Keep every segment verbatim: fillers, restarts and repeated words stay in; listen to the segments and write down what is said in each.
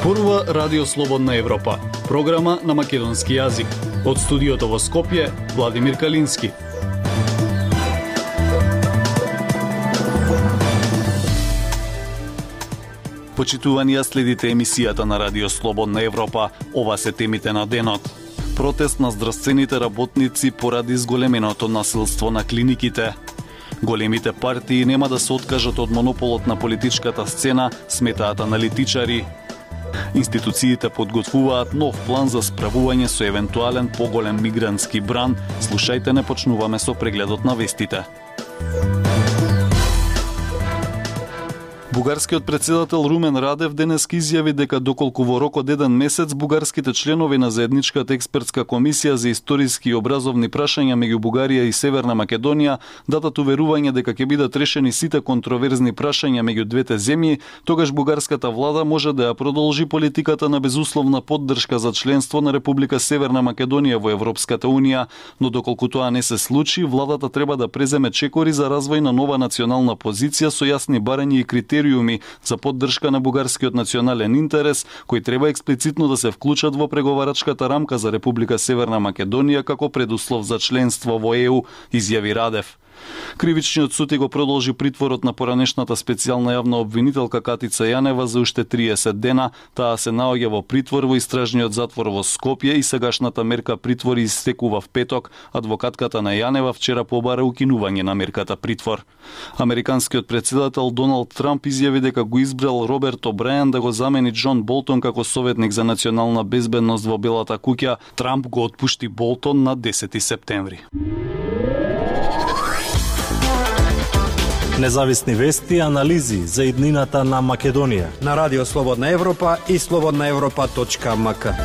Зборува Радио Слободна Европа, програма на македонски јазик. Од студиото во Скопје, Владимир Калински. Почитувани, следите емисијата на Радио Слободна Европа. Ова се темите на денот. Протест на здравствените работници поради зголеменото насилство на клиниките. Големите партии нема да се откажат од монополот на политичката сцена, сметаат аналитичари. Институциите подготвуваат нов план за справување со евентуален поголем мигрантски бран. Слушајте, не почнуваме со прегледот на вестите. Бугарскиот председател Румен Радев денеска изјави дека доколку во рок од еден месец бугарските членови на заедничката експертска комисија за историски и образовни прашања меѓу Бугарија и Северна Македонија дадат уверување дека ќе бидат решени сите контроверзни прашања меѓу двете земји, тогаш бугарската влада може да ја продолжи политиката на безусловна поддршка за членство на Република Северна Македонија во Европската унија, но доколку тоа не се случи, владата треба да преземе чекори за развој на нова национална позиција со јасни барања и критериуми за поддршка на бугарскиот национален интерес, кои треба експлицитно да се вклучат во преговарачката рамка за Република Северна Македонија како предуслов за членство во Е У, изјави Радев. Кривичниот суд го продолжи притворот на поранешната специјална јавна обвинителка Катица Јанева за уште триесет дена. Таа се наоѓа во притвор во истражниот затвор во Скопје и сегашната мерка притвор истекува в петок. Адвокатката на Јанева вчера побара укинување на мерката притвор. Американскиот председател Доналд Трамп изјави дека го избрал Роберт О'Брајен да го замени Џон Болтон како советник за национална безбедност во Белата куќа. Трамп го отпушти Болтон на десети септември. Независни вести и анализи за иднината на Македонија на Радио Слободна Европа и слободна европа точка ем ка.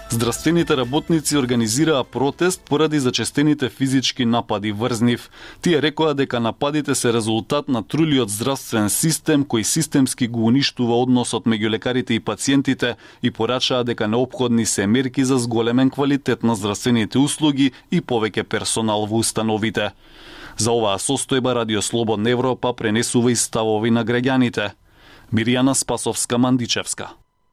Здравствените работници организираа протест поради зачестените физички напади врз нив. Тие рекоа дека нападите се резултат на трулиот здравствен систем кој системски го уништува односот меѓу лекарите и пациентите и порачаа дека неопходни се мерки за зголемен квалитет на здравствените услуги и повеќе персонал во установите. За оваа состојба Радио Слободна Европа пренесува и ставови на граѓаните. Мирјана Спасовска-Мандичевска.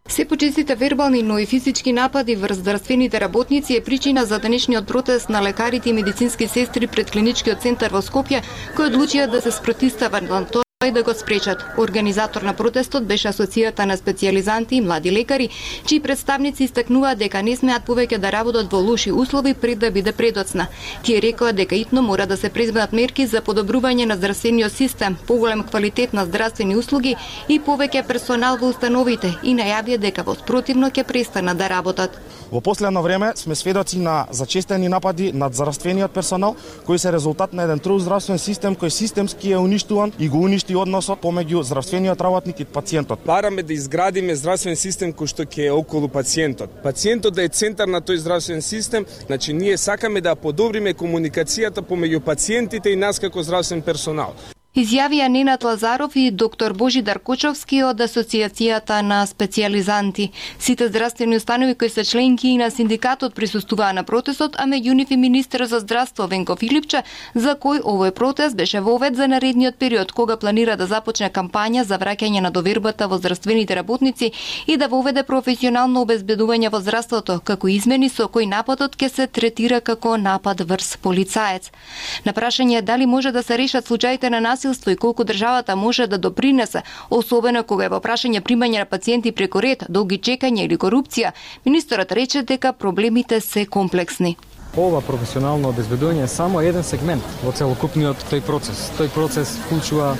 Се почестите вербални, но и физички напади врз здравствените работници е причина за денешниот протест на лекарите и медицински сестри пред клиничкиот центар во Скопје, кои одлучија да се спротивстават на тоа и да го спречат. Организатор на протестот беше Асоцијата на специјализанти и млади лекари, чии представници истакнуваат дека не смеат повеќе да работат во лоши услови пред да биде предоцна. Тие рекоа дека итно мора да се преземат мерки за подобрување на здравствениот систем, поголем квалитет на здравствени услуги и повеќе персонал во установите и најавија дека во спротивно ќе престанат да работат. Во последно време сме сведоци на зачестени напади над здравствениот персонал, кои се резултат на еден трул здравствен систем кој системски е уништуван и го уништи односот помеѓу здравствениот работник и пациентот. Бараме да изградиме здравствен систем кој што ќе е околу пациентот. Пациентот да е центар на тој здравствен систем, значи ние сакаме да подобриме комуникацијата помеѓу пациентите и нас како здравствен персонал. Изјавија Ненад Лазаров и доктор Божидар Кочовски од Асоцијацијата на специјализанти. Сите здравствени установи кои се членки и на синдикатот присуствуваа на протестот, а меѓу нив и министер за здравство Венко Филипче, за кој овој протест беше вовед за наредниот период, кога планира да започне кампања за враќање на довербата во здравствените работници и да воведе професионално обезбедување во здравството, како измени со кој нападот ќе се третира како напад врз полицаец. На прашање дали може да се решат случаите на насилство и колку државата може да допринесе, особено кога е во прашање примање на пациенти преку ред, долги чекања или корупција, министерот рече дека проблемите се комплексни. Ова професионално обезбедување е само еден сегмент во целокупниот тој процес. Тој процес вклучува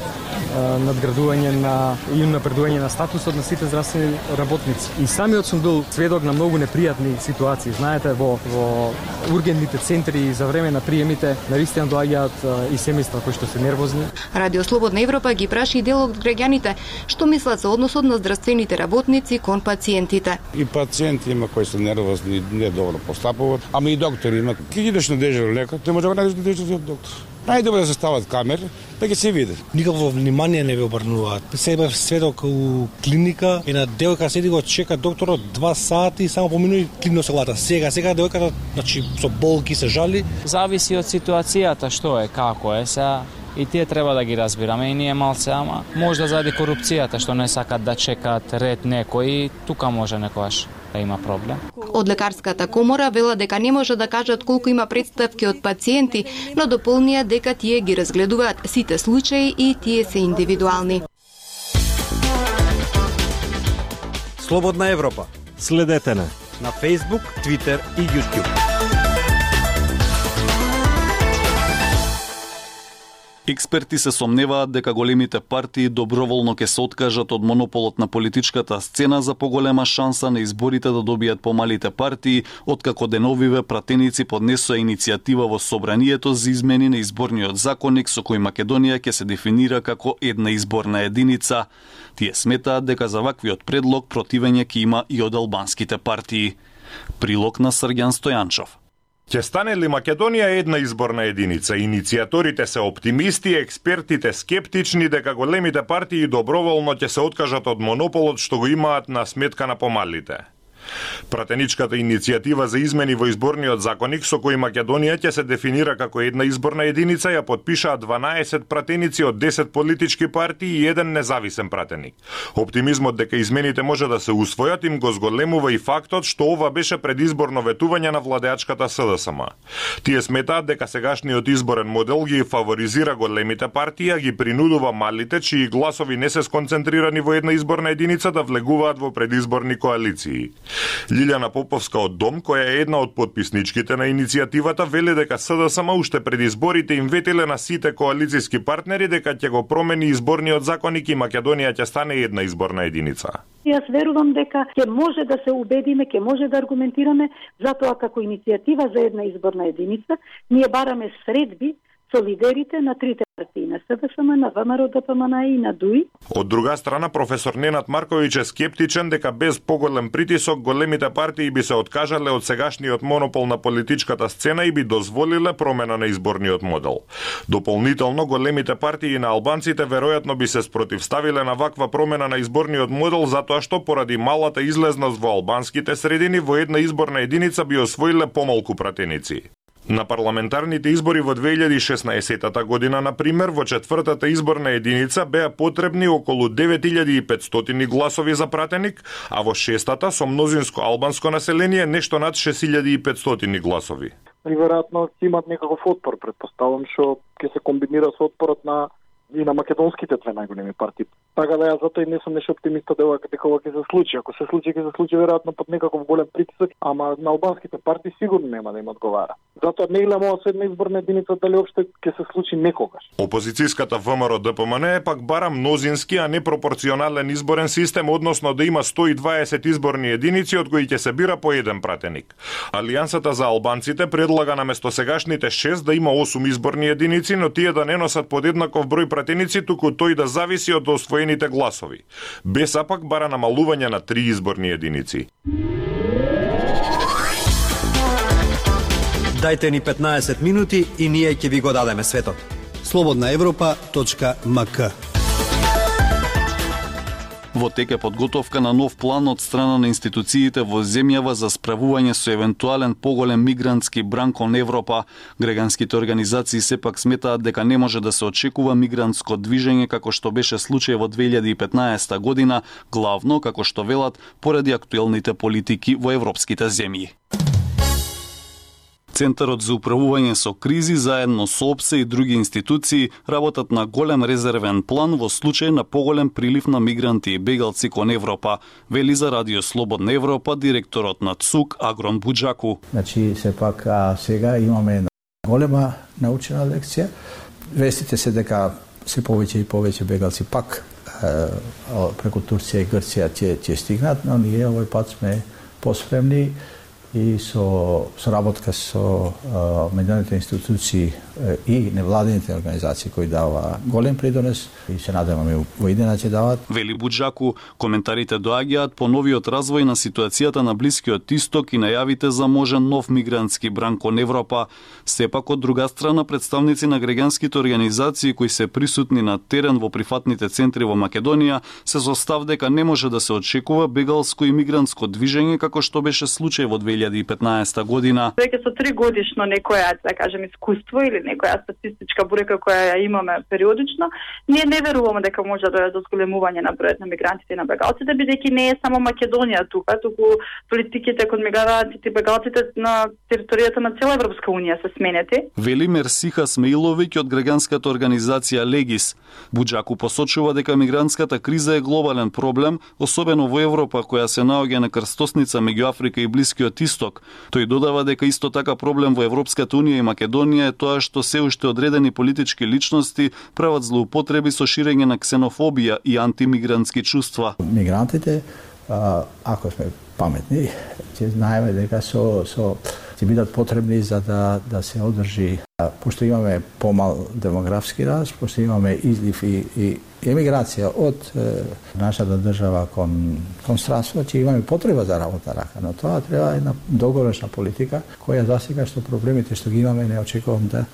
надградување на и напредување на статусот на сите здравствени работници. И самиот сум бил сведок на многу непријатни ситуации. Знаете, во, во ургентните центри за време на приемите навистина доаѓаат и семејства кои што се нервозни. Радио Слободна Европа ги праши дел од граѓаните што мислат за односот на здравствените работници кон пациентите. И пациенти има кои се нервозни, не добро постапуваат, ама и доктори има. Ке идеш на дежурен лекар, ти може да најдеш на дежурен доктор. Најдобро да се стават камери, па ќе се види. Никакво внимание не ве обрнуваат. Се бев сведок у клиника и на девојка седи го чека докторот два сати и само поминува и клино се лата. Сега, сега девојката, значи со болки се жали. Зависи од ситуацијата што е, како е, сега И тие треба да ги разбираме и ние малце, ама можда заради корупцијата што не сакат да чекаат ред некои, тука може некогаш да има проблем. Од лекарската комора вела дека не може да кажат колку има представки од пациенти, но дополнија дека тие ги разгледуваат сите случаи и тие се индивидуални. Слободна Европа. Следете на на Facebook, Twitter и YouTube. Експерти се сомневаат дека големите партии доброволно ќе се откажат од монополот на политичката сцена за поголема шанса на изборите да добијат помалите партии, откако деновиве пратеници поднесоа иницијатива во Собранието за измени на изборниот законник со кој Македонија ќе се дефинира како една изборна единица. Тие сметаат дека за ваквиот предлог противење ќе има и од албанските партии. Прилог на Срѓан Стојанчов. Ќе стане ли Македонија една изборна единица? Иницијаторите се оптимисти, експертите скептични дека големите партии доброволно ќе се откажат од монополот што го имаат на сметка на помалите. Пратеничката иницијатива за измени во изборниот законник со кој Македонија ќе се дефинира како една изборна единица ја подпишаа дванаесет пратеници од десет политички партии и еден независен пратеник. Оптимизмот дека измените може да се усвојат им го зголемува и фактот што ова беше предизборно ветување на владеачката СДСМ. Тие сметаат дека сегашниот изборен модел ги фаворизира големите партии, а ги принудува малите чии гласови не се сконцентрирани во една изборна единица да влегуваат во предизборни коалиции. Лилјана Поповска од Дом, која е една од подписничките на иницијативата, вели дека СДСМ уште пред изборите им ветиле на сите коалициски партнери дека ќе го промени изборниот законник и Македонија ќе стане една изборна единица. Јас верувам дека ќе може да се убедиме, ќе може да аргументираме, затоа како иницијатива за една изборна единица, ние бараме средби со лидерите на трите партии, на СДСМ, на ВМРО, ДПМН и на ДУИ. Од друга страна, професор Ненад Марковиќ е скептичен дека без поголем притисок големите партии би се откажале од сегашниот монопол на политичката сцена и би дозволиле промена на изборниот модел. Дополнително, големите партии на албанците веројатно би се спротивставиле на ваква промена на изборниот модел затоа што поради малата излезност во албанските средини во една изборна единица би освоиле помалку пратеници. На парламентарните избори во две илјади и шеснаесетта година, например, во четвртата изборна единица беа потребни околу девет илјади и петстотини гласови за пратеник, а во шестата со мнозинско албанско население нешто над шест илјади и петстотини гласови. И веројатно ќе имат некаков отпор, предпоставам, што ќе се комбинира со отпорот на и на македонските две најголеми партии. Така да јас затоа и не сум нешто оптимиста дека ова ќе се случи. Ако се случи, ќе се случи веројатно под некаков голем притисок, ама на албанските партии сигурно нема да им одговара. Затоа не гледам ова со една изборна единица дали опште ќе се случи некогаш. Опозицијската ВМРО ДПМН е пак бара мнозински, а не пропорционален изборен систем, односно да има сто и дваесет изборни единици од кои ќе се бира по еден пратеник. Алијансата за албанците предлага наместо сегашните шест да има осум изборни единици, но тие да не носат подеднаков број пратеници, туку тој да зависи од освоените гласови. БЕСА пак бара намалување на три изборни единици. Дајте ни петнаесет минути и ние ќе ви го дадеме светот. слободна европа точка ем ка. Во тек е подготовка на нов план од страна на институциите во земјава за справување со евентуален поголем мигрантски бран кон Европа. Граѓанските организации сепак сметаат дека не може да се очекува мигрантско движење како што беше случај во две илјади и петнаесетта година, главно, како што велат, поради актуелните политики во европските земји. Центарот за управување со кризи заедно со ОПСЕ и други институции работат на голем резервен план во случај на поголем прилив на мигранти и бегалци кон Европа, вели за Радио Слободна Европа директорот на ЦУК Агрон Буџаку. Значи, сепак а, сега имаме една голема научена лекција. Вестите се дека се повеќе и повеќе бегалци пак е, преку Турција и Грција ќе ќе стигнат, но ние овој пат сме поспремни и со соработка со а, меѓународните институции а, и невладините организации кои дава голем придонес и се надеваме во идеја ќе дават. Вели Буџаку, коментарите доаѓаат по новиот развој на ситуацијата на Блискиот Исток и најавите за можен нов мигрантски бран кон Европа. Сепак од друга страна представници на граѓанските организации кои се присутни на терен во прифатните центри во Македонија се со став дека не може да се очекува бегалско и мигрантско движење како што беше случај во две илјади илјади и петнаесетта година. Веќе со три годишно некоја, да кажем, искуство или некоја статистичка бројка која ја имаме периодично, ние не веруваме дека може да дојде до зголемување на бројот на мигрантите и на бегалците, бидејќи не е само Македонија тука, туку политиките кон мигрантите и бегалците на територијата на цела Европска унија се сменети. Вели Мерсиха Смеиловиќ од граѓанската организација Легис. Буџаку посочува дека мигрантската криза е глобален проблем, особено во Европа која се наоѓа на крстосница меѓу Африка и Блискиот Исток. Тој додава дека исто така проблем во Европската унија и Македонија е тоа што се уште одредени политички личности прават злоупотреби со ширење на ксенофобија и антимигрантски чувства. Мигрантите, ако сме паметни, ќе знаеме дека со со ќе бидат потребни за да да се одржи, пошто имаме помал демографски раст, пошто имаме излив и, и емиграција од е, нашата држава кон кон странство, ќе имаме потреба за работна рака, но тоа треба една долгорочна политика која засега што проблемите што ги имаме не очекувам да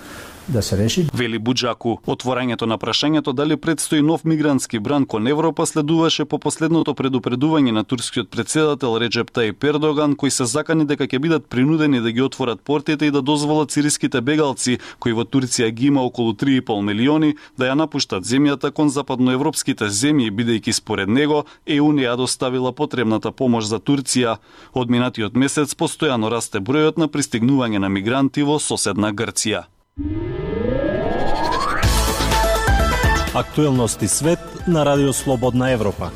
да се реши. Вели Буџаку, отворањето на прашањето дали предстои нов мигрантски бран кон Европа следуваше по последното предупредување на турскиот претседател Реджеп Тајип Ердоган, кој се закани дека ќе бидат принудени да ги отворат портите и да дозволат сириските бегалци, кои во Турција ги има околу три и пол милиони, да ја напуштат земјата кон западноевропските земји, бидејќи според него Е У не ја доставила потребната помош за Турција. Од минатиот месец постојано расте бројот на пристигнување на мигранти во соседна Грција. Актуелности свет на Радио Слободна Европа.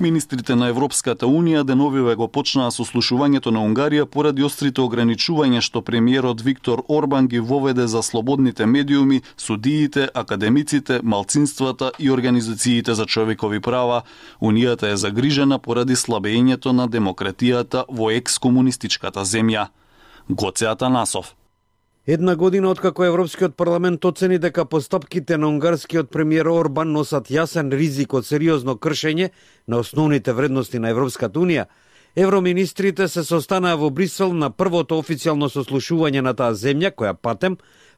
Министрите на Европската Унија деновиве го почнаа сослушувањето на Унгарија поради острите ограничувања што премиерот Виктор Орбан ги воведе за слободните медиуми, судиите, академиците, малцинствата и организациите за човекови права. Унијата е загрижена поради слабењето на демократијата во екс-комунистичката земја. Гоце Атанасов. Една година откако Европскиот парламент оцени дека постапките на унгарскиот премиер Орбан носат јасен ризик од сериозно кршење на основните вредности на Европската унија, евроминистрите се состанаа во Брисел на првото официјално сослушување на таа земја, која патем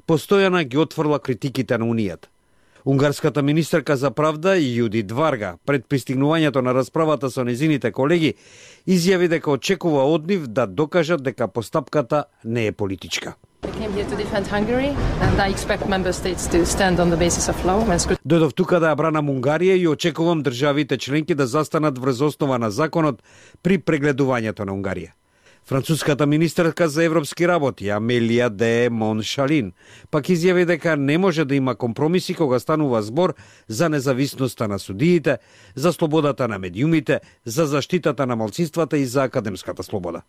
постојано ги отфрла критиките на унијата. Унгарската министерка за правда Јудит Варга пред пристигнувањето на расправата со незините колеги изјави дека очекува од нив да докажат дека постапката не е политичка. Дојдов тука да ја бранам Унгарија и очекувам државите членки да застанат врз основа на законот при прегледувањето на Унгарија. Француската министерка за европски работи Амелија де Моншалин пак изјави дека не може да има компромиси кога станува збор за независноста на судиите, за слободата на медиумите, за заштитата на малцинствата и за академската слобода.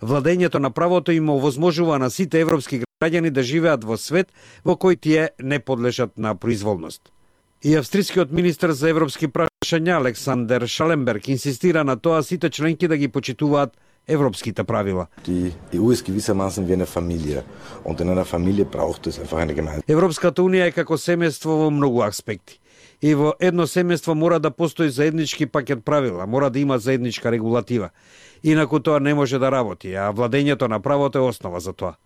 Владењето на правото им овозможува на сите европски граѓани да живеат во свет во кој тие не подлежат на произволност. И австрискиот министер за европски прашања Александер Шаленберг инсистира на тоа сите членки да ги почитуваат европските правила. Европската унија е како семејство во многу аспекти. И во едно семејство мора да постои заеднички пакет правила, мора да има заедничка регулатива. Инаку тоа не може да работи, а владењето на правото е основа за тоа.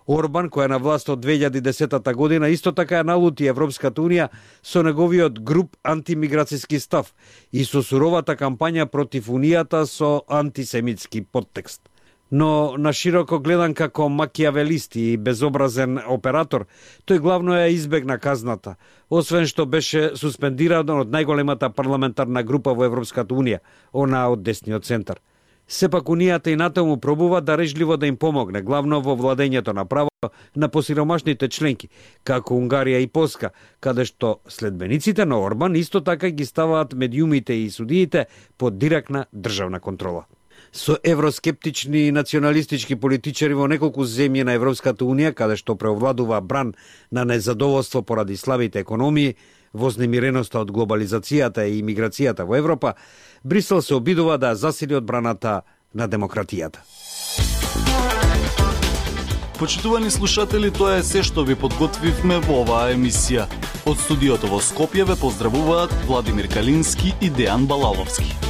Орбан, кој е на власт од две илјади и десетата година, исто така ја налути Европската унија со неговиот груб антимиграцијски став и со суровата кампања против унијата со антисемитски подтекст. Но на широко гледан како макијавелист и безобразен оператор, тој главно ја избегна казната, освен што беше суспендиран од најголемата парламентарна група во Европската унија, она од десниот центар. Сепак унијата и натаму пробува да режливо да им помогне, главно во владењето на право на посиромашните членки, како Унгарија и Полска, каде што следбениците на Орбан исто така ги ставаат медиумите и судиите под директна државна контрола. Со евроскептични и националистички политичари во неколку земји на Европската унија, каде што преовладува бран на незадоволство поради слабите економии, вознемиреноста од глобализацијата и имиграцијата во Европа, Брисел се обидува да засили одбраната на демократијата. Почитувани слушатели, тоа е се што ви подготвивме во оваа емисија. Од студиото во Скопје ве поздравуваат Владимир Калински и Дејан Балаловски.